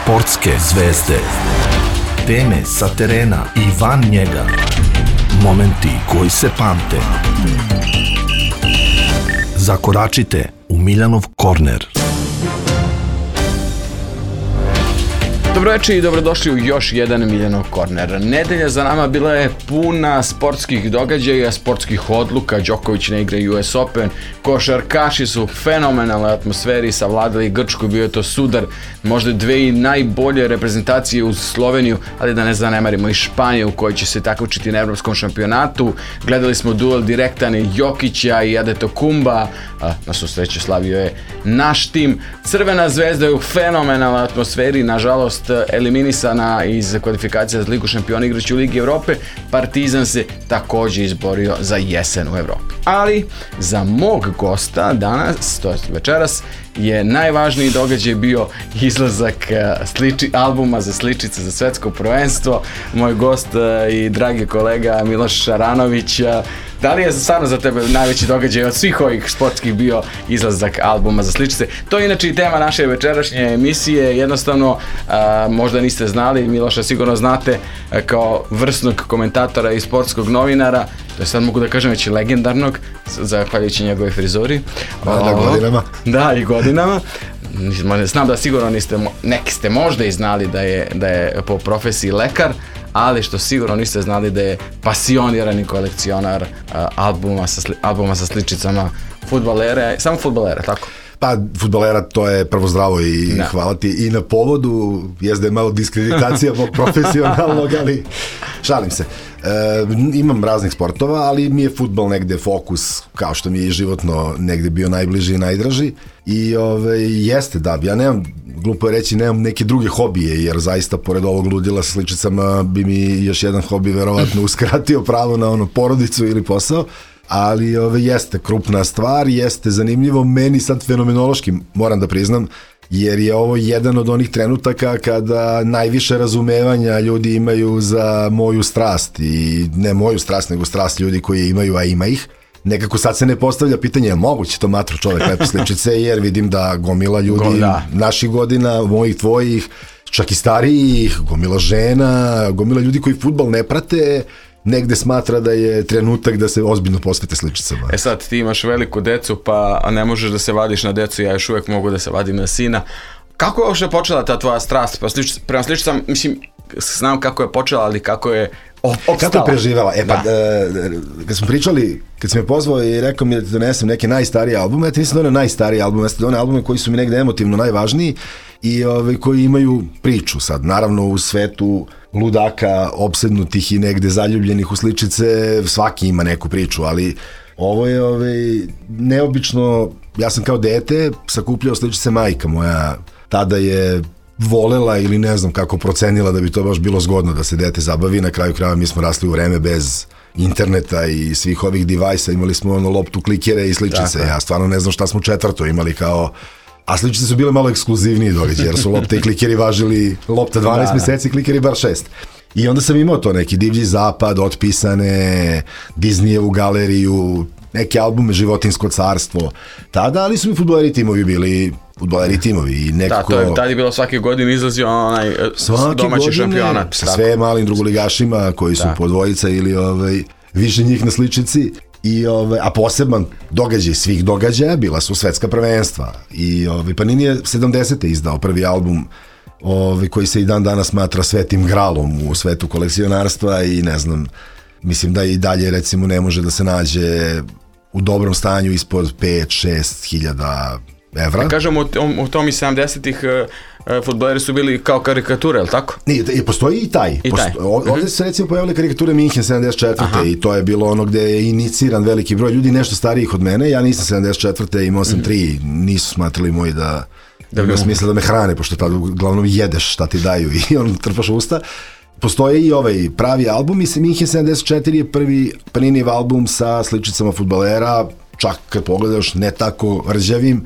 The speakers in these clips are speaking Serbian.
Sportske zvezde. Teme sa terena i van njega. Momenti koji se pamte. Zakoračite u Miljanov korner. Dobroveče i dobrodošli u još jedan Miljanov korner. Nedelja za nama bila je puna sportskih događaja, sportskih odluka. Đoković ne igra US Open, košarkaši su u fenomenalnoj atmosferi savladali Grčku, bio je to sudar, možda dve najbolje reprezentacije uz Sloveniju, ali da ne zanemarimo i Španiju u kojoj će se takmičiti na evropskom šampionatu. Gledali smo duel direktan Jokića i Adetokumba, na svu sreću slavio je naš tim. Crvena zvezda je u fenomenalnoj atmosferi, nažalost eliminisana iz kvalifikacija za Ligu šampiona igrajući u Ligi Evrope. Partizan se također izborio za jesen u Evropi. Ali za mog gosta danas, to je večeras, je najvažniji događaj bio izlazak albuma za sličice za svetsko prvenstvo. Moj gost i dragi kolega Miloš Šaranović, da li je stvarno za tebe najveći događaj od svih ovih sportskih bio izlazak albuma za sličice? To je inače i tema naše večerašnje emisije. Jednostavno, možda niste znali, Miloša sigurno znate kao vrsnog komentatora i sportskog novinara, to je sad mogu da kažem već i legendarnog, zahvaljujući njegove frizuri. Godinama. Da, i godinama. Znam da sigurno neki ste možda i znali da je po profesiji lekar, ali što sigurno niste znali da je pasionirani kolekcionar albuma sa sličicama fudbalera, samo fudbalera, tako? Pa, fudbalera, to je prvo zdravo i hvala ti i na povodu, jest da je malo diskreditacija mog profesionalnog, ali šalim se. Imam raznih sportova, ali mi je fudbal negde fokus, kao što mi je i životno negde bio najbliži i najdraži. I jeste, da, ja nemam, glupo je reći, nemam neke druge hobije, jer zaista pored ovog ludila sa sličicama bi mi još jedan hobi verovatno uskratio pravo na porodicu ili posao. Ali jeste krupna stvar, jeste zanimljivo, meni sad fenomenološki, moram da priznam, jer je ovo jedan od onih trenutaka kada najviše razumevanja ljudi imaju za moju strast, i ne moju strast, nego strast ljudi koji imaju, a ima ih. Nekako sad se ne postavlja pitanje, je moguće to matro čovek lepe sličice, jer vidim da gomila ljudi naših godina, mojih, tvojih, čak i starijih, gomila žena, gomila ljudi koji fudbal ne prate, negde smatra da je trenutak da se ozbiljno posvete sličicama. Sad ti imaš veliku decu, pa ne možeš da se vadiš na decu, ja još uvijek mogu da se vadim na sina. Kako je uopšte počela ta tvoja strast prema sličicama? Mislim, znam kako je počela, ali kako je opstala? Kako je preživela? Kad smo pričali, kad si me pozvao i rekao mi da ti donesem neke najstarije albume, ja ti nisam doneo najstarije albume, ja sam doneo albume koji su mi negde emotivno najvažniji i koji imaju priču sad. Naravno, u svetu ludaka, opsednutih i negde zaljubljenih u sličice, svaki ima neku priču, ali ovo je neobično. Ja sam kao dete sakupljao sličice, majka moja tada je volela ili ne znam kako procenila da bi to baš bilo zgodno da se dete zabavi. Na kraju krajeva mi smo rasli u vreme bez interneta i svih ovih devajsa, imali smo loptu, klikere i sličice. Ja stvarno ne znam šta smo četvrto imali kao. A sličice su bile malo ekskluzivniji događaj, jer su lopte i klikeri važili, lopta 12 meseci, klikeri bar 6. I onda sam imao to, neki Divlji zapad, otpisane, Disneyevu galeriju, neke albume, Životinjsko carstvo, tada, ali su mi fudbaleri timovi bili fudbaleri timovi i nekako. Da, tada je bilo svake godine izlazio onaj domaći šampionat. Sa sve malim drugoligašima koji su po dvojica ili više njih na sličici. A poseban događaj svih događaja bila su svetska prvenstva. I Panini je 70. izdao prvi album koji se i dan danas smatra svetim gralom u svetu kolekcionarstva i ne znam, mislim da i dalje recimo ne može da se nađe u dobrom stanju ispod 5-6 hiljada evra. Ja kažem, u tom i 70-ih fudbaleri su bili kao karikature, je li tako? Ne, postoji i taj. Ovdje se recimo pojavile karikature Minhen 74. I to je bilo ono gde je iniciran veliki broj ljudi, nešto starijih od mene. Ja nisam 74. imao sam 3, nisu smatrali moji da ima smisla da me hrane, pošto tada uglavnom jedeš šta ti daju i on trpaš usta. Postoje i ovaj pravi album i Minhen 74 je prvi Paninijev album sa sličicama fudbalera, čak kad pogledaš ne tako rđavim,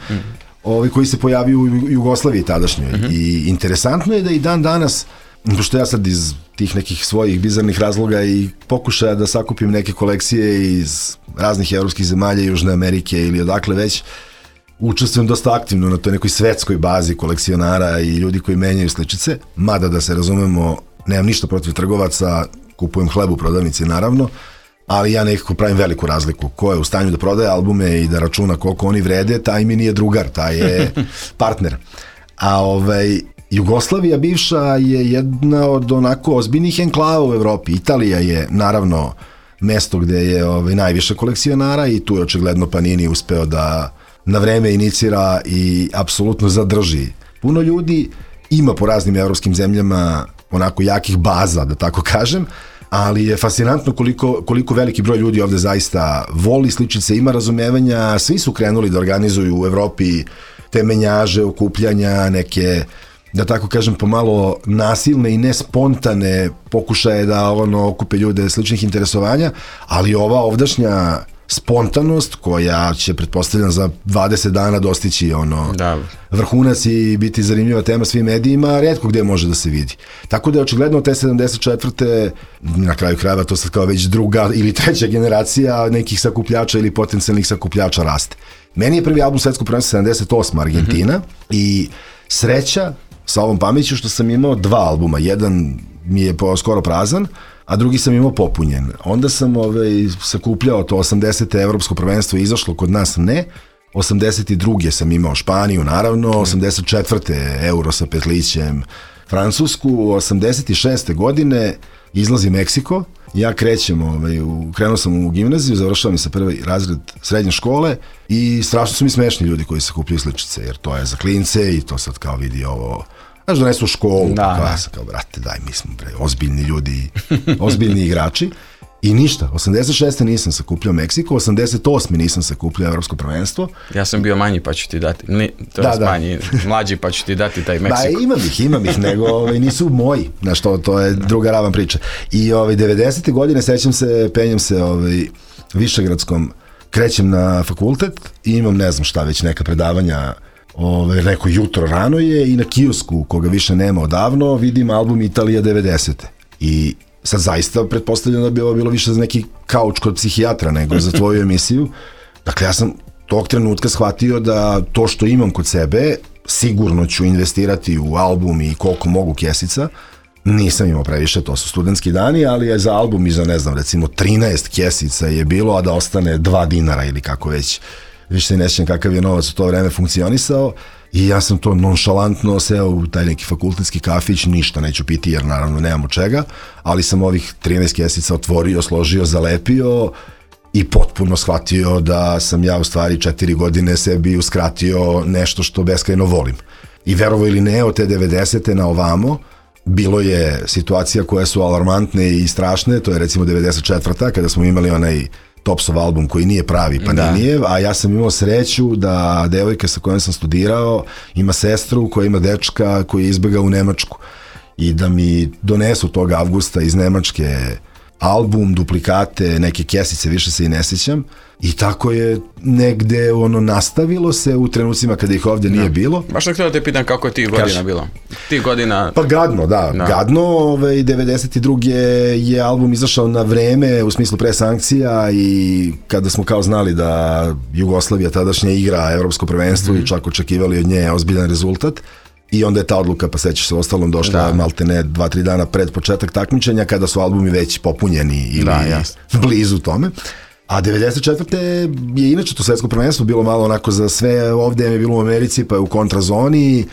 koji se pojavio u Jugoslaviji tadašnjoj. I interesantno je da i dan danas, pošto ja sad iz tih nekih svojih bizarnih razloga i pokušaja da sakupim neke kolekcije iz raznih evropskih zemalja, Južne Amerike ili odakle već, učestvujem dosta aktivno na toj nekoj svetskoj bazi kolekcionara i ljudi koji menjaju sličice, mada da se razumemo, nemam ništa protiv trgovaca, kupujem hleb u prodavnici naravno, ali ja nekako pravim veliku razliku. Ko je u stanju da prodaje albume i da računa koliko oni vrede, taj mi nije drugar, taj je partner. A Jugoslavija bivša je jedna od onako ozbiljnih enklava u Evropi. Italija je naravno mesto gde je najviše kolekcionara i tu je očigledno Panini uspeo da na vreme inicira i apsolutno zadrži. Puno ljudi ima po raznim evropskim zemljama onako jakih baza, da tako kažem, ali je fascinantno koliko veliki broj ljudi ovde zaista voli sličice, ima razumevanja, svi su krenuli da organizuju u Evropi te menjaže, okupljanja, neke, da tako kažem, pomalo nasilne i nespontane pokušaje da okupe ljude sličnih interesovanja, ali ova ovdašnja spontanost koja će, pretpostavljam, za 20 dana dostići vrhunac i biti zanimljiva tema svim medijima, retko gde može da se vidi. Tako da je očigledno te 74. na kraju krajeva to sad kao već druga ili treća generacija nekih sakupljača ili potencijalnih sakupljača raste. Meni je prvi album Svetskog prvenstva 78. Argentina i sreća sa ovom pameću što sam imao 2 albuma. Jedan mi je skoro prazan, a drugi sam imao popunjen. Onda sam sakupljao to 80. Evropsko prvenstvo, izašlo kod nas ne. 82. sam imao Španiju, naravno. 84. Euro sa Petlićem, Francusku. 86. godine izlazi Meksiko. Ja krenuo sam u gimnaziju, završavam sa prvi razred srednje škole i strašno su mi smešni ljudi koji sakupljaju sličice, jer to je za klince i to sad kao vidi ovo. Znaš, donesu u školu, ja sam kao, brate, daj, mi smo ozbiljni ljudi, ozbiljni igrači. I ništa, 86. nisam sakupljao Meksiko, 88. nisam sakupljao Evropsko prvenstvo. Ja sam bio manji pa ću ti dati, manji, mlađi pa ću ti dati taj Meksiko. Imam ih, nego nisu moji, znaš, to je druga ravan priča. I 90. godine, sećam se, penjem se Višegradskom, krećem na fakultet i imam, ne znam šta, već neka predavanja, neko jutro rano je i na kiosku, koga više nema odavno, vidim album Italija 90. I sad zaista pretpostavljam da bi ovo bilo više za neki kauč kod psihijatra nego za tvoju emisiju. Dakle, ja sam tog trenutka shvatio da to što imam kod sebe sigurno ću investirati u album i koliko mogu kesica. Nisam imao previše, to su studentski dani, ali je za album i za, ne znam, recimo 13 kesica je bilo, a da ostane 2 dinara ili kako već. Više se ne sjećam kakav je novac u to vreme funkcionisao i ja sam to nonšalantno seo u taj neki fakultetski kafić, ništa neću piti jer naravno nemam od čega, ali sam ovih 13 kesica otvorio, složio, zalepio i potpuno shvatio da sam ja u stvari 4 godine sebi uskratio nešto što beskrajno volim. I verovo ili ne, od te 90. na ovamo, bilo je situacija koje su alarmantne i strašne, to je recimo 94. kada smo imali onaj Topsov album koji nije pravi Paninijev, a ja sam imao sreću da devojka sa kojom sam studirao ima sestru koja ima dečka koji je izbegao u Nemačku i da mi donesu tog avgusta iz Nemačke album, duplikate, neke kesice, više se i ne sjećam i tako je negde nastavilo se u trenucima kada ih ovdje nije bilo. Baš sam htio da te pitam kako je tih godina bilo. Tih godina... Pa gadno, da. Gadno, 92. je album izašao na vreme, u smislu pre sankcija i kada smo kao znali da Jugoslavija tadašnja igra Evropsko prvenstvo i čak očekivali od nje ozbiljan rezultat. I onda je ta odluka, pa sećaš se, ostalom došla malte ne 2-3 dana pred početak takmičenja kada su albumi već popunjeni ili blizu tome. A 94. je inače to svetsko prvenstvo bilo malo onako za sve, ovdje je bilo u Americi pa je u kontrazoni,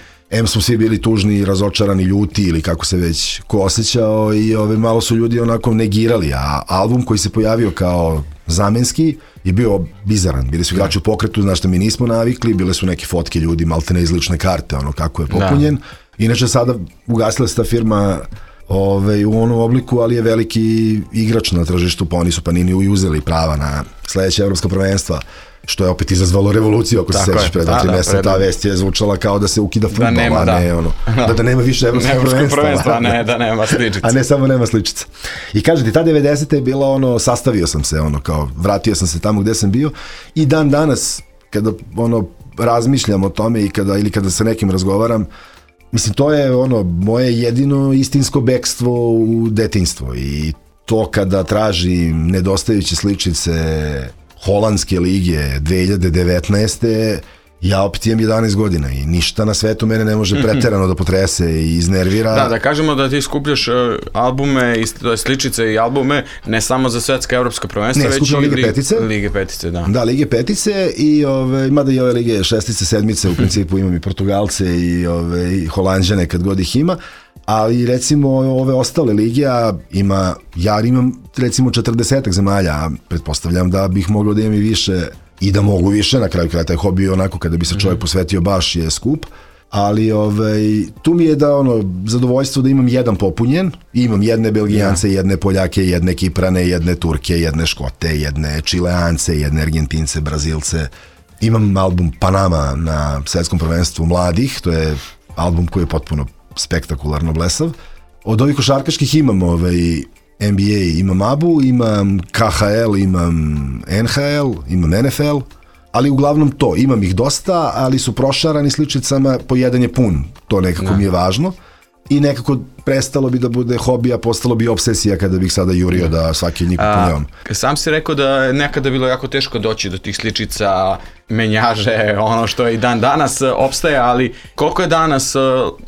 smo svi bili tužni, razočarani, ljuti ili kako se već ko osjećao i malo su ljudi onako negirali, a album koji se pojavio kao zamenski je bio bizaran, bili su igrači u pokretu, znaš što mi nismo navikli, bile su neke fotke ljudi, malte ne iz lične karte, kako je popunjen. Inače sada ugasila se ta firma u onom obliku, ali je veliki igrač na tržištu, pa oni su Panini uzeli prava na sledeće evropska prvenstva, što je opet izazvalo revoluciju, ako se sećaš pred 2-3 mjeseca, ta vest je zvučala kao da se ukida fudbal, da nema više evropskog prvenstva, da nema sličica. A ne samo nema sličica. I kaže ti, ta 90. je bila sastavio sam se, kao vratio sam se tamo gde sam bio i dan danas, kada razmišljam o tome ili kada sa nekim razgovaram, mislim, to je moje jedino istinsko bekstvo u detinjstvo i to kada tražim nedostajuće sličice Holandske lige 2019. Ja opet imam 11 godina i ništa na svetu mene ne može preterano da potrese i iznervira. Da kažemo da ti skupljaš albume, sličice i albume, ne samo za svetska evropska prvenstva, već i Lige petice. Da, Lige petice i mada i ove Lige šestice, sedmice, u principu imam i Portugalce i Holanđane kad god ih ima, ali recimo ove ostale lige, ja imam recimo 40 zemalja, a pretpostavljam da bih mogao da imam i više i da mogu više, na kraju kraja taj hobi je onako kada bi se čovjek posvetio baš je skup, ali tu mi je da zadovoljstvo da imam jedan popunjen, imam jedne Belgijance, jedne Poljake, jedne Kiprane, jedne Turke, jedne Škote, jedne Čileance, jedne Argentince, Brazilce, imam album Panama na svetskom prvenstvu mladih, to je album koji je potpuno spektakularno blesav. Od ovih košarkaških imam NBA, imam ABU, imam KHL, imam NHL, imam NFL, ali uglavnom to, imam ih dosta, ali su prošarani sličicama, po jedan je pun, to nekako mi je važno i nekako prestalo bi da bude hobija, postalo bi obsesija kada bih sada jurio da svaki njih popunjavam. Sam si rekao da je nekada bilo jako teško doći do tih sličica, menjaže, ono što je i dan danas opstaje, ali koliko je danas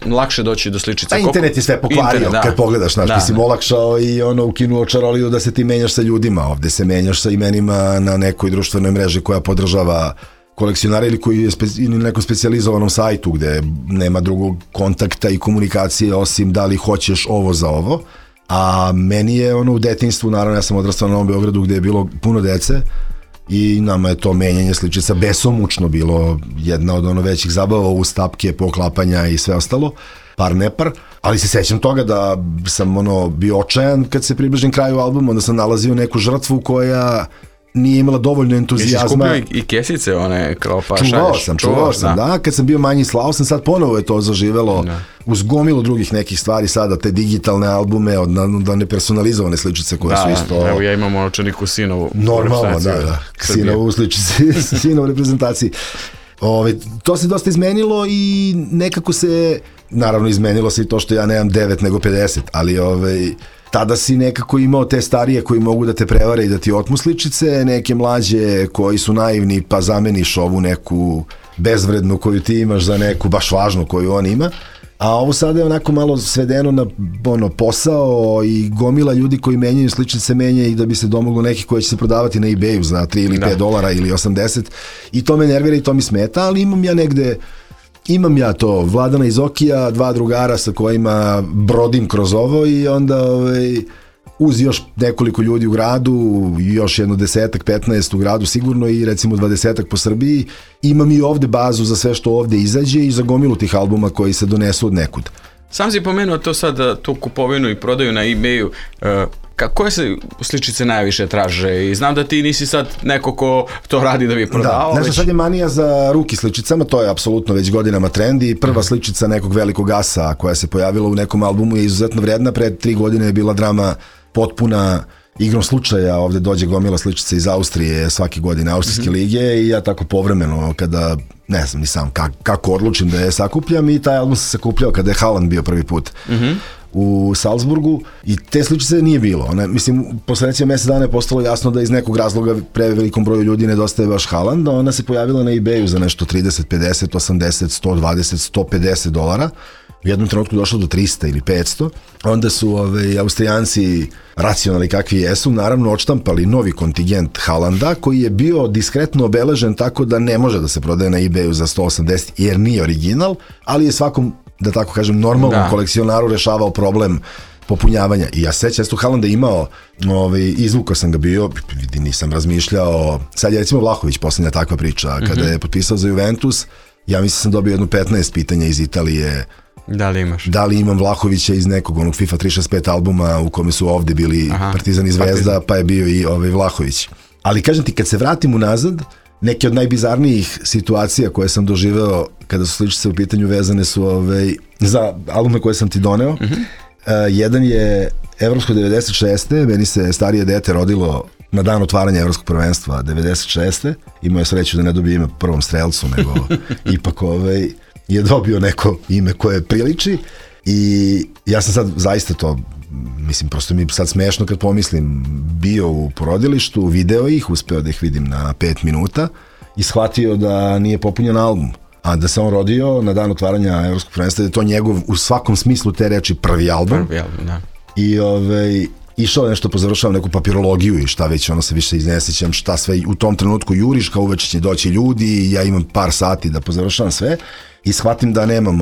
lakše doći do sličica? Internet je sve pokvario, kad pogledaš, ti si olakšao i ukinuo čaroliju da se ti menjaš sa ljudima, ovde se menjaš sa imenima na nekoj društvenoj mreži koja podržava kolekcionara ili koji je na nekom specijalizovanom sajtu gde nema drugog kontakta i komunikacije osim da li hoćeš ovo za ovo, a meni je u detinjstvu, naravno ja sam odrastao na Novom Beogradu gde je bilo puno dece i nama je to menjanje sličica besomučno bilo jedna od većih zabava uz tapke, poklapanja i sve ostalo, par nepar, ali se sećam toga da sam bio očajan kad se približim kraju albuma, onda sam nalazio neku žrtvu koja nije imala dovoljno entuzijazma. Jesi skupio i kesice one kao pa Čuvao sam, da. Kad sam bio manji slao sam, sad ponovo je to zaživelo uz gomilu drugih nekih stvari sada, te digitalne albume, da nepersonalizovane sličice koje su isto... Evo ja imam onočaniku sinovu. Normalno, da. Sinovu sličici, sinovu reprezentaciji. To se dosta izmenilo i nekako se, naravno izmenilo se i to što ja nemam 9 nego 50, ali tada si nekako imao te starije koji mogu da te prevare i da ti otmu sličice, neke mlađe koji su naivni pa zameniš ovu neku bezvrednu koju ti imaš za neku baš važnu koju on ima, a ovo sada je onako malo svedeno na posao i gomila ljudi koji menjaju sličice menja i da bi se domoglo nekih koji će se prodavati na eBayu za 3 ili $5 ili 80 i to me nervira i to mi smeta, ali imam ja to, Vladana iz Okija, 2 drugara sa kojima brodim kroz ovo i onda uz još nekoliko ljudi u gradu, još jedno 10-15 u gradu sigurno i recimo 20 po Srbiji, imam i ovde bazu za sve što ovde izađe i za gomilu tih albuma koji se donesu od nekud. Sam si pomenuo to sad, tu kupovinu i prodaju na eBayu, koje se sličice najviše traže i znam da ti nisi sad neko ko to radi da bi prodavao. Da, sad je manija za ruki sličicama, to je apsolutno već godinama trend i prva sličica nekog velikog asa koja se pojavila u nekom albumu je izuzetno vredna, pred 3 godine je bila drama potpuna, igrom slučaja ovde dođe gomila sličica iz Austrije svake godine, Austrijske lige i ja tako povremeno kada, ne znam ni sam kako odlučim da je sakupljam i taj album se sakupljao kada je Haaland bio prvi put u Salzburgu i te sličice nije bilo. Posle recimo mjesec dana je postalo jasno da iz nekog razloga prevelikom broju ljudi nedostaje baš Haaland, a ona se pojavila na eBayu za nešto 30, 50, 80, 120, 150 dolara. U jednom trenutku došlo do 300 ili 500. Onda su Austrijanci, racionalni kakvi jesu, naravno odštampali novi kontingent Haalanda koji je bio diskretno obeležen tako da ne može da se prodaje na eBayu za 180 jer nije original, ali je svakom, da tako kažem, normalnom kolekcionaru rešavao problem popunjavanja. I ja sećam, tu Haalanda imao, izvukao sam ga bio, nisam razmišljao, sad je recimo Vlahović poslednja takva priča, kada je potpisao za Juventus, ja mislim sam dobio jedno 15 pitanja iz Italije. Da li imaš? Da li imam Vlahovića iz nekog onog FIFA 365 albuma u kome su ovde bili Partizan i Zvezda, pa je bio i Vlahović. Ali kažem ti, kad se vratim unazad, neke od najbizarnijih situacija koje sam doživeo kada su sličice u pitanju vezane su za albume koje sam ti doneo. Jedan je Evropsko 96. Meni se starije dete rodilo na dan otvaranja Evropskog prvenstva 96. Imao je sreću da ne dobije ime prvom strelcu, nego ipak je dobio neko ime koje priliči i ja sam sad zaista to, mislim, prosto mi sad smešno kad pomislim, bio u porodilištu, video ih, uspeo da ih vidim na 5 minuta i shvatio da nije popunjen album, a da se on rodio na dan otvaranja Evropskog prvenstva, da je to njegov u svakom smislu te reči prvi album. Da. I išao nešto pozavršavam neku papirologiju i šta već, ono se više iznesećam šta sve u tom trenutku juriš, kao uveče će doći ljudi i ja imam par sati da pozavršavam sve i shvatim da nemam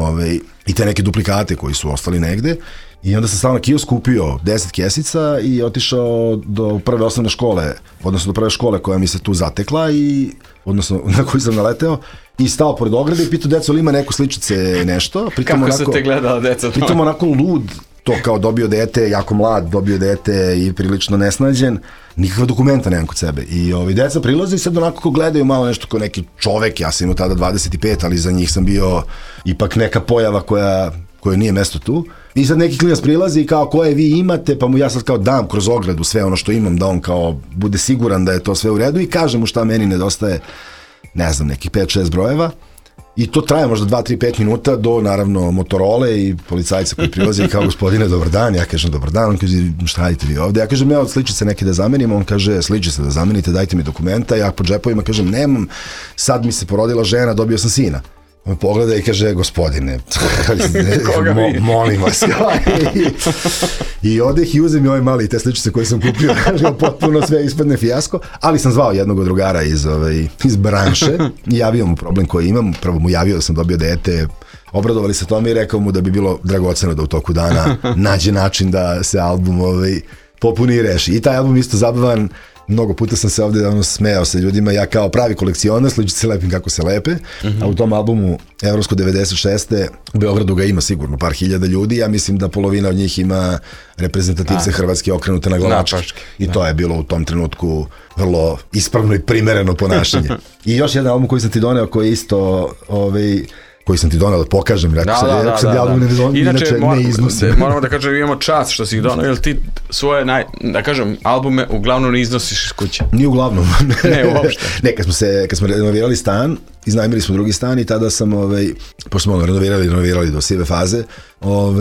i te neke duplikate koji su ostali negde i onda sam stao na kiosk, kupio 10 kesica i otišao do prve osnovne škole, odnosno do prve škole koja mi se tu zatekla i odnosno na koju sam naleteo i stao pored ograde i pitao deco, ali ima neko sličice nešto. Pritom kako su te gledala deca? Pritom onako lud, to kao dobio dete, jako mlad, dobio dete i prilično nesnađen, nikakva dokumenta nemam kod sebe. I deca prilaze i sad onako ko gledaju malo nešto kao neki čovek, ja sam imao tada 25, ali za njih sam bio ipak neka pojava koja nije mesto tu. I sad neki klinac prilazi i kao koje vi imate, pa mu ja sad kao dam kroz ogradu sve ono što imam, da on kao bude siguran da je to sve u redu i kažem mu šta meni nedostaje, ne znam, nekih 5-6 brojeva. I to traje možda 2-3-5 minuta do, naravno, Motorola i policajca koji prilazi i kao, gospodine, dobar dan. Ja kažem, dobar dan. On kaže, šta radite vi ovde? Ja kažem, ja od sličice neke da zamenim. On kaže, sličice da zamenite, dajte mi dokumenta. Ja po džepovima kažem, nemam, sad mi se porodila žena, dobio sam sina. On me pogleda i kaže, gospodine, molim vas. I odeh i uzem i mali te sličice koje sam kupio, potpuno sve ispadne fijasko, ali sam zvao jednog od drugara iz branše i javio mu problem koji imam, prvo mu javio da sam dobio dete, obradovali se tome i rekao mu da bi bilo dragoceno da u toku dana nađe način da se album popuni i reši. I taj album isto zabavan. Mnogo puta sam se ovde smejao sa ljudima, ja kao pravi kolekcionar, sličice lepim kako se lepe, a u tom albumu Evropsko 96. u Beogradu ga ima sigurno par hiljada ljudi, ja mislim da polovina od njih ima reprezentativce Hrvatske okrenute na glavačke. I to je bilo u tom trenutku vrlo ispravno i primereno ponašanje. I još jedan album koji sam ti doneo, koji je isto koji sam ti donao da pokažem, inače ne iznosim. Moramo da kažem, imamo čast što si ih donao, jer ti svoje, da kažem, albume uglavnom ne iznosiš iz kuće. Nije uglavnom. Ne, uopšte. Ne, kad smo renovirali stan, iznajmili smo drugi stan i tada sam, pošto smo renovirali do sive faze,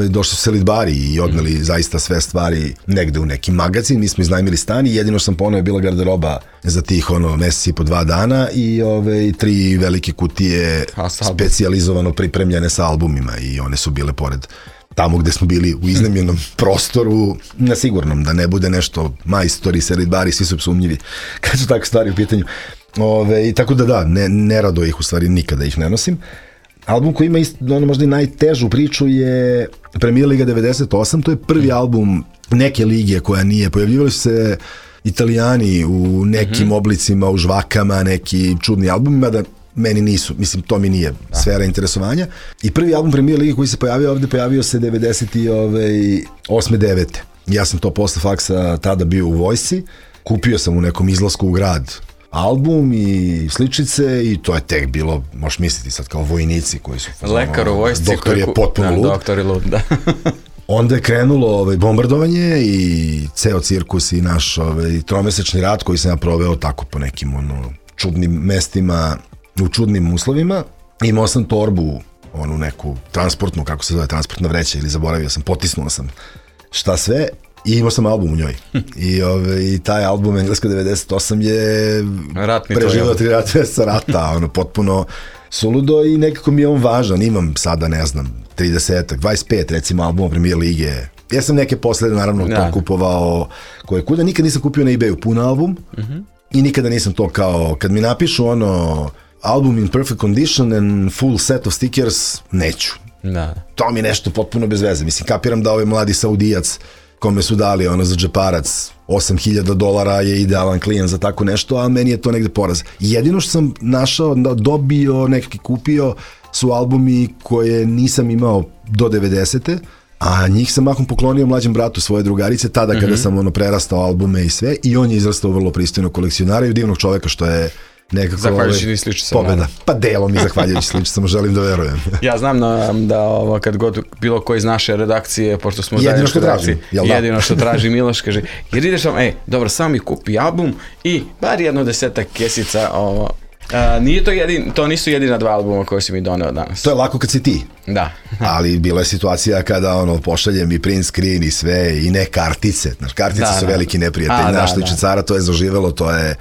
došli su selidbari i odneli zaista sve stvari negde u neki magazin, mi smo iznajmili stan i jedino sam poneo je bila garderoba za tih meseci i po 2 dana i 3 velike kutije specijalizovano pripremljene sa albumima i one su bile pored tamo gde smo bili u iznajmljenom prostoru, na sigurnom, da ne bude nešto majstori, selidbari, svi su sumnjivi kad su takve stvari u pitanju. I tako da, nerado ih u stvari nikada ih ne nosim. Album koji ima možda i najtežu priču je Premier Liga 98, to je prvi album neke lige koja nije, pojavljivali su se Italijani u nekim oblicima, u žvakama, neki čudni albumima, da meni nisu, mislim, to mi nije sfera interesovanja. I prvi album Premier Lige koji se pojavio ovde, pojavio se 98-9. Ja sam to posle faksa tada bio u vojsci, kupio sam u nekom izlasku u grad album i sličice i to je tek bilo, možeš misliti sad kao vojnici koji su... Lekar u vojsci. Doktor je potpuno lud. Doktor je lud, da. Onda je krenulo bombardovanje i ceo cirkus i naš tromesečni rat koji sam ja proveo tako po nekim čudnim mestima, u čudnim uslovima. Imao sam torbu, onu neku transportnu, kako se zove, transportna vreća ili zaboravio sam, potisnuo sam šta sve i imao sam album u njoj. I taj album Engleska 98 je preživao 3 meseca rata, potpuno suludo i nekako mi je on važan. Imam sada, ne znam, 30-ak, 25 recimo albuma Premier Lige. Ja sam neke posle naravno to kupovao koje kuda, nikad nisam kupio na eBayu pun album i nikada nisam to kao, kad mi napišu album in perfect condition and full set of stickers, neću. To mi je nešto potpuno bez veze. Mislim, kapiram da ovaj mladi Saudijac kome su dali za džeparac $8.000 je idealan klijent za tako nešto, a meni je to negde poraz. Jedino što sam našao, dobio, nekaki kupio su albumi koje nisam imao do 90. A njih sam mahom poklonio mlađem bratu svoje drugarice, tada kada sam prerastao albume i sve, i on je izrastao vrlo pristojnog kolekcionara i divnog čoveka, što je nekako zahvaljujući sličicama. Pobeda. Pa delom i zahvaljujući sličicama, želim da verujem. Ja znam da kad god bilo ko iz naše redakcije, pošto smo zajedno redakcije, jedino što traži Miloš, kaže, jer ideš vam, dobro, samo mi kupi album i bar 10 kesica, to nisu jedina 2 albuma koje si mi doneo danas. To je lako kad si ti. Da. Ali bila je situacija kada pošaljem i print screen i sve i ne kartice. Kartice su veliki neprijatelji. Naš sličicara, to je zaživelo, to je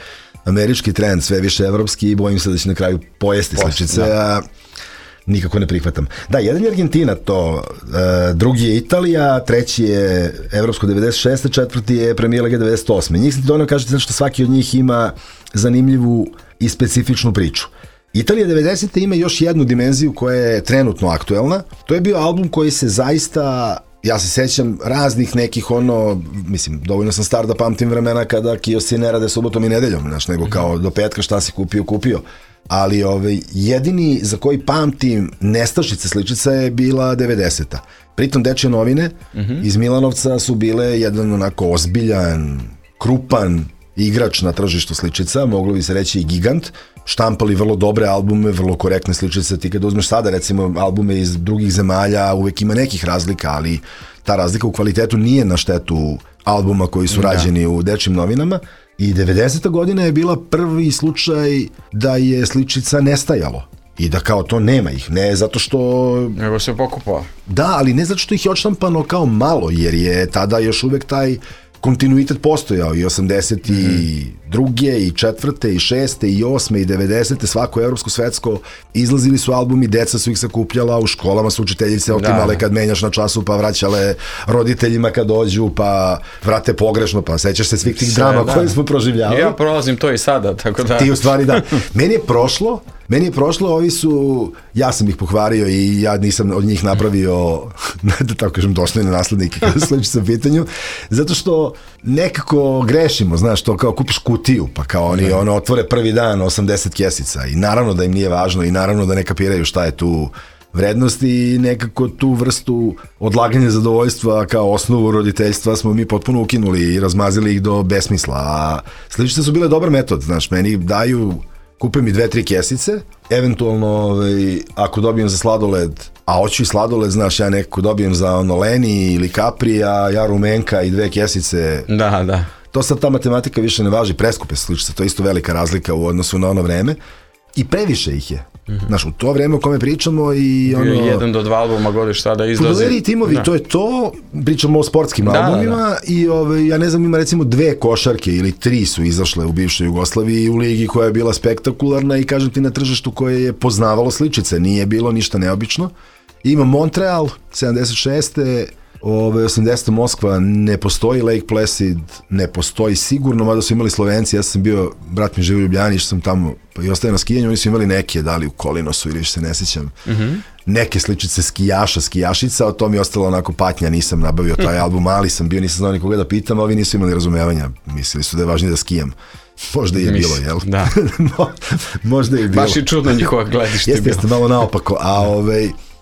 američki trend, sve više evropski i bojim se da će na kraju pojesti sličice, a nikako ne prihvatam. Da, jedan je Argentina to, drugi je Italija, treći je Evropsko 96. četvrti je Premier Liga 98. Njih se ti dovoljno kažete zato što svaki od njih ima zanimljivu i specifičnu priču. Italija 90. ima još jednu dimenziju koja je trenutno aktuelna. To je bio album koji se zaista, ja se sećam raznih nekih mislim, dovoljno sam star da pamtim vremena kada kioski ne rade subotom i nedeljom, znaš, nego kao do petka šta si kupio. Ali jedini za koji pamtim nestašice sličica je bila 90. Pritom Dečje novine iz Milanovca su bile jedan onako ozbiljan, krupan igrač na tržištu sličica, moglo bi se reći i gigant, štampali vrlo dobre albume, vrlo korektne sličice. Ti kada uzmeš sada recimo albume iz drugih zemalja, uvek ima nekih razlika, ali ta razlika u kvalitetu nije na štetu albuma koji su rađeni u Dečjim novinama. I 90. godina je bila prvi slučaj da je sličica nestajalo i da kao to nema ih, ne zato što... Nego se pokupao. Da, ali ne zato što ih je odštampano kao malo, jer je tada još uvek taj kontinuitet postojao i 82. i 4. i 6. i 8. i 90. svako evropsko, svetsko, izlazili su albumi, deca su ih sakupljala, u školama su učiteljice otimale kad menjaš na času, pa vraćale roditeljima kad dođu, pa vrate pogrešno, pa sećaš se svih tih drama koje smo proživljavali. Ja prolazim to i sada, tako da... Ti u stvari da. Meni je prošlo, ovi su, ja sam ih pohvario i ja nisam od njih napravio, da tako kažem, dostojne naslednike kada sličica u pitanju, zato što nekako grešimo, znaš, to kao kupiš kutiju, pa kao oni otvore prvi dan 80 kesica i naravno da im nije važno i naravno da ne kapiraju šta je tu vrednost i nekako tu vrstu odlaganja zadovoljstva kao osnovu roditeljstva smo mi potpuno ukinuli i razmazili ih do besmisla, a sličice su bile dobar metod, znaš, meni daju... Kupe mi 2-3 kesice, eventualno ako dobijem za sladoled, a hoću i sladoled, znaš, ja nekako dobijem za Leni ili Capri, a ja rumenka i 2 kesice. Da. To sad ta matematika više ne važi, preskupe sličice, to je isto velika razlika u odnosu na ono vreme. I previše ih je. Znaš, u to vreme o kome pričamo i ono... 1 do 2 albuma godiš sada izlazi. Fudbaleri i timovi, to je to, pričamo o sportskim albumima i ja ne znam, ima recimo 2 košarke ili 3 su izašle u bivšoj Jugoslaviji u ligi koja je bila spektakularna i kažem ti na tržištu koje je poznavalo sličice, nije bilo ništa neobično. Ima Montreal, 76. 80. Moskva ne postoji, Lake Placid ne postoji sigurno, mada su imali Slovenci, ja sam bio, brat mi živi u Ljubljani, što sam tamo i ostaje na skijanju, oni su imali neke, da li u Kolinosu ili se ne sjećam, neke sličice skijaša, skijašica, o tom je ostalo onako patnja, nisam nabavio taj album, mali sam bio, nisam znao nikoga da pitam, a ovi nisu imali razumevanja, mislili su da je važnije da skijam. Možda je bilo, jel? Da. Možda je bilo. Baš i čudno njihova gledište bilo. Jeste, malo naopako, a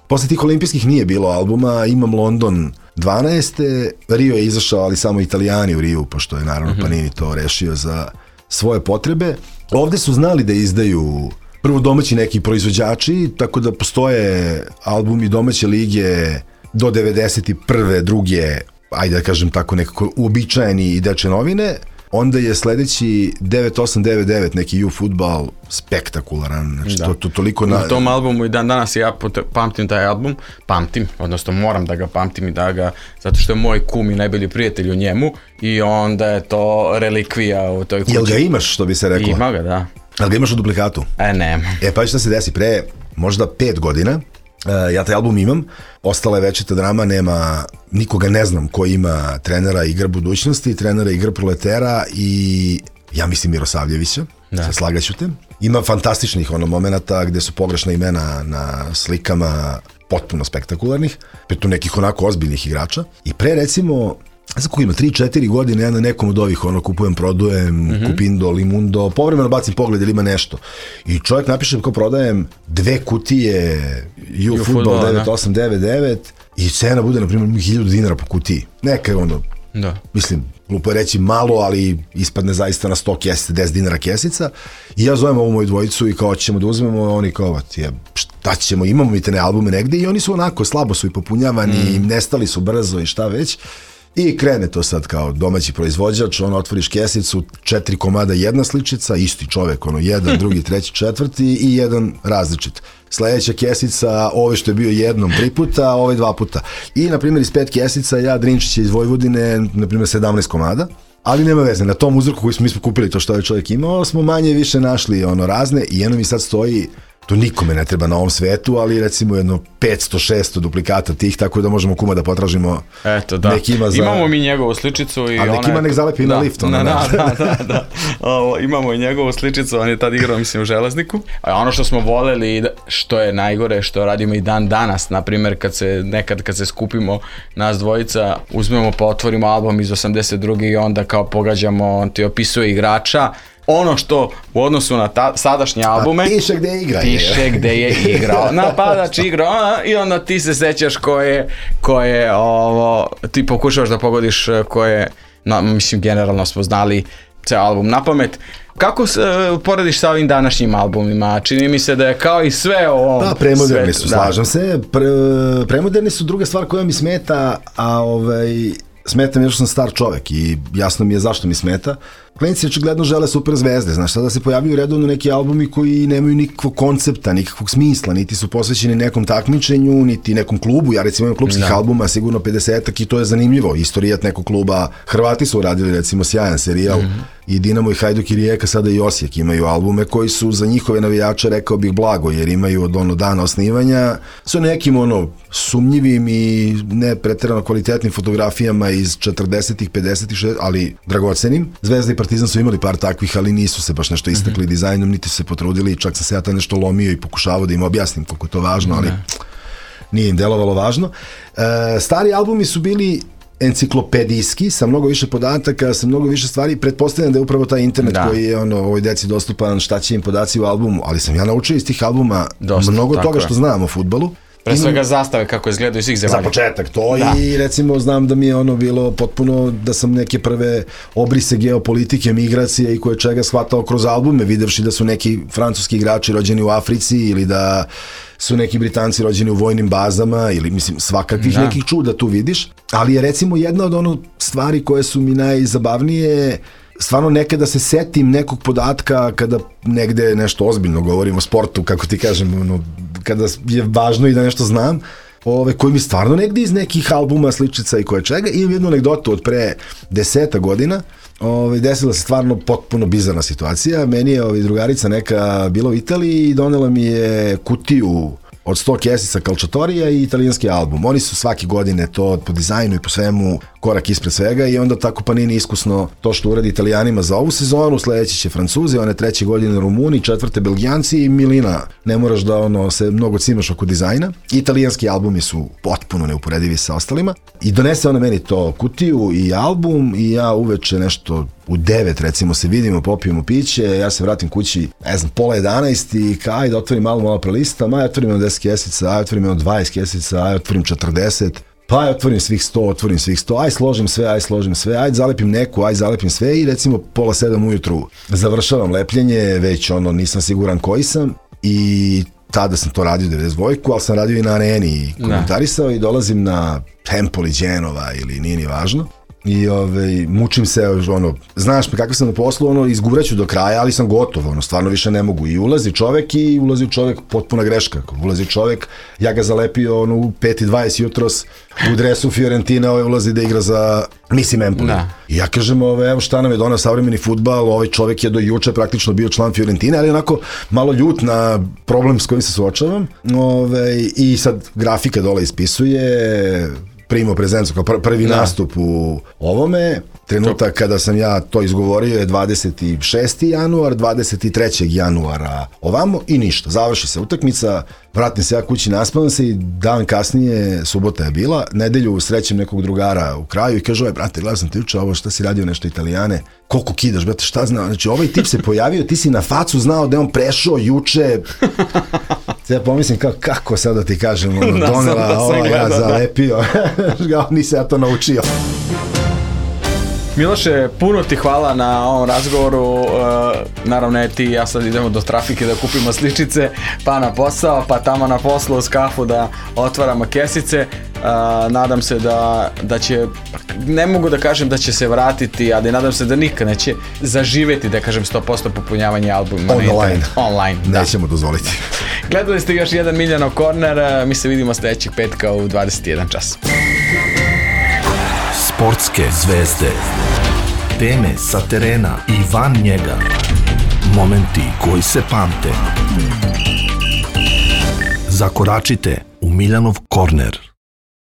posle tih olimpijskih nije bilo albuma, imam London 12. Rio je izašao, ali samo Italijani u Riju, pošto je naravno Panini to rešio za svoje potrebe. Ovde su znali da izdaju prvo domaći neki proizvođači, tako da postoje albumi domaće lige do 91. druge, ajde da kažem tako, nekako uobičajeni i Dečje novine. Onda je sledeći 9899 neki U-Fudbal spektakularan, znači to toliko... Na tom albumu i dan danas ja pamtim taj album, odnosno moram da ga pamtim i da ga, zato što je moj kum i najbolji prijatelj u njemu i onda je to relikvija u toj kući. Jel ga imaš, što bi se reklo? Ima ga, da. Jel ga imaš u duplikatu? Nema. Pa šta se desi, pre možda 5 godina, ja taj album imam, ostala je večita drama, nema, nikoga ne znam ko ima trenera Igra budućnosti, trenera Igra proletera i ja mislim Mirosavljevića, slagaću te. Ima fantastičnih momenata gde su pogrešna imena na slikama potpuno spektakularnih, pritom nekih onako ozbiljnih igrača. I pre recimo, znam kako ima, 3-4 godine ja na nekom od ovih kupujem, produjem, Kupindo, Limundo, povremeno bacim pogled ili ima nešto. I čovjek napiše kako prodajem 2 kutije U-Fudbal 9899 i cena bude, na primjer, 1000 dinara po kutiji. Neka je mislim, glupo je reći malo, ali ispadne zaista na 100 kesica, 10 dinara kesica. I ja zovem ovu moju dvojicu i kao ćemo da uzmemo, oni kao, šta ćemo, imamo mi te ne albume negde i oni su onako, slabo su i popunjavani, nestali su brzo i šta već. I krene to sad kao domaći proizvođač, otvoriš kesicu, 4 komada, jedna sličica, isti čovek, jedan, drugi, treći, četvrti i jedan različit. Sledeća kesica, ove što je bio jednom 3 puta, ove 2 puta. I, na primjer, iz 5 kesica, ja Drinčić iz Vojvodine, na primjer, 17 komada. Ali nema veze, na tom uzorku koji mi smo kupili, to što je čovjek imao, smo manje više našli razne i jedno mi sad stoji, to nikome ne treba na ovom svetu, ali recimo jedno 500-600 duplikata tih, tako da možemo kuma da potražimo. Eto, da. Imamo mi njegovu sličicu. A neki ima nek zalepi na lift. Da. Imamo i njegovu sličicu, on je tad igrao, mislim, u Železniku. A ono što smo voleli, što je najgore, što radimo i dan danas, na primjer, kad se skupimo nas dvojica, uzmemo pa otvorimo album iz 82. i onda kao pogađamo, on ti opisuje igrača. Ono što u odnosu na sadašnje albume piše gde je igrao, napadač igrao i onda ti se sećaš ko je ti pokušavaš da pogodiš ko je, mislim generalno smo znali ceo album na pamet. Kako se porediš sa ovim današnjim albumima? Čini mi se da je kao i sve ovo... Da, premoderni su, slažem se. Premoderni su druga stvar koja mi smeta, a smeta mi jer što sam star čovek i jasno mi je zašto mi smeta. Klinci očigledno žele super zvezde, znaš, sada se pojavljaju redovno neki albumi koji nemaju nikakvog koncepta, nikakvog smisla, niti su posvećeni nekom takmičenju, niti nekom klubu. Ja recimo imam klubskih albuma sigurno 50-ak i to je zanimljivo. Istorijat nekog kluba, Hrvati su uradili recimo sjajan serijal, i Dinamo i Hajduk i Rijeka, sada i Osijek imaju albume koji su za njihove navijače, rekao bih, blago, jer imaju od dana osnivanja sa nekim sumnjivim i ne pretjerano kvalitetnim fotografijama iz 40-ih, 50-ih, 60-ih, ali dragocenim. Zvezda i Partizan su imali par takvih, ali nisu se baš nešto istakli dizajnom, niti su se potrudili, čak sam se ja tad nešto lomio i pokušavao da im objasnim koliko je to važno, ali nije im delovalo važno. Stari albumi su bili enciklopedijski, sa mnogo više podataka, sa mnogo više stvari. Pretpostavljam da je upravo taj internet koji je ovoj deci dostupan, šta će im podaci u albumu, ali sam ja naučio iz tih albuma mnogo toga što znam o fudbalu. Pre svega zastave kako izgledaju svih zemalja. Za početak to i recimo znam da mi je bilo potpuno, da sam neke prve obrise geopolitike, migracije i koje čega shvatao kroz albume, videvši da su neki francuski igrači rođeni u Africi ili da su neki Britanci rođeni u vojnim bazama ili mislim svakakvih nekih čuda tu vidiš, ali je recimo jedna od stvari koje su mi najzabavnije, stvarno nekada se setim nekog podatka kada negde nešto ozbiljno govorim o sportu, kako ti kažem, kada je važno i da nešto znam, koji mi stvarno negde iz nekih albuma, sličica i koje čega. Imam jednu anegdotu od pre 10 godina, desila se stvarno potpuno bizarna situacija. Meni je drugarica neka bila u Italiji i donela mi je kutiju od 100 kesica Calciatorija i italijanski album. Oni su svake godine to po dizajnu i po svemu korak ispred svega i onda tako Panini iskusno to što uradi Italijanima za ovu sezonu, sledeći će Francuzi, one 3. godine Rumuni, 4. Belgijanci i milina. Ne moraš da se mnogo cimaš oko dizajna. Italijanski albumi su potpuno neuporedivi sa ostalima i donese ona meni to kutiju i album i ja uveče nešto u 9 recimo se vidimo, popijemo piće, ja se vratim kući, ne znam, 10:30 i ajde otvorim malo prelistam, ajde otvorim 10 kesica, ajde otvorim 20 kesica, ajde otvorim 40, pa ajde otvorim svih 100, ajde složim sve, ajde zalepim neku, ajde zalepim sve i recimo 6:30 ujutru završavam lepljenje, već nisam siguran koji sam i tada sam to radio 92, ali sam radio i na Areni i komentarisao i dolazim na Empoli, Genova ili nije ni važno. I mučim se, znaš me kako sam na poslu, izguraću do kraja, ali sam gotov, stvarno više ne mogu. I ulazi čovek potpuna greška. Ulazi čovek, ja ga zalepio u 5:20 jutros u dresu Fiorentina, ulazi da igra za Empoli. I ja kažem, evo šta nam je donao savremeni fudbal, ovaj čovek je do juče praktično bio član Fiorentine, ali onako malo ljut na problem s kojim se suočavam. I sad grafika dole ispisuje primo prezencu, kao prvi nastup u ovome. Trenutak kada sam ja to izgovorio je 26. januar, 23. januara ovamo i ništa. Završi se utakmica, vratim se ja kući, naspavam se i dan kasnije, subota je bila, nedelju srećem nekog drugara u kraju i kaže, brate, gledao sam te juče, ovo šta si radio nešto Italijane, koliko kidaš, brate, šta znao, znači ovaj tip se pojavio, ti si na facu znao da je on prešao juče. Ja pomislim kako sad da ti kažem, donela, ja zalepio, nisam ja to naučio. Miloše, puno ti hvala na ovom razgovoru, naravno ti i ja sad idemo do trafike da kupimo sličice, pa na posao, pa tamo na poslu uz kafu da otvaramo kesice, nadam se da će, ne mogu da kažem da će se vratiti, ali nadam se da nikad neće zaživeti, da kažem 100% popunjavanje albuma online. Nećemo dozvoliti. Gledali ste još jedan Miljanov Corner, mi se vidimo sljedećeg petka u 21 čas. Sportske zvezde. Teme sa terena i van njega. Momenti koji se pamte. Zakoračite u Miljanov korner.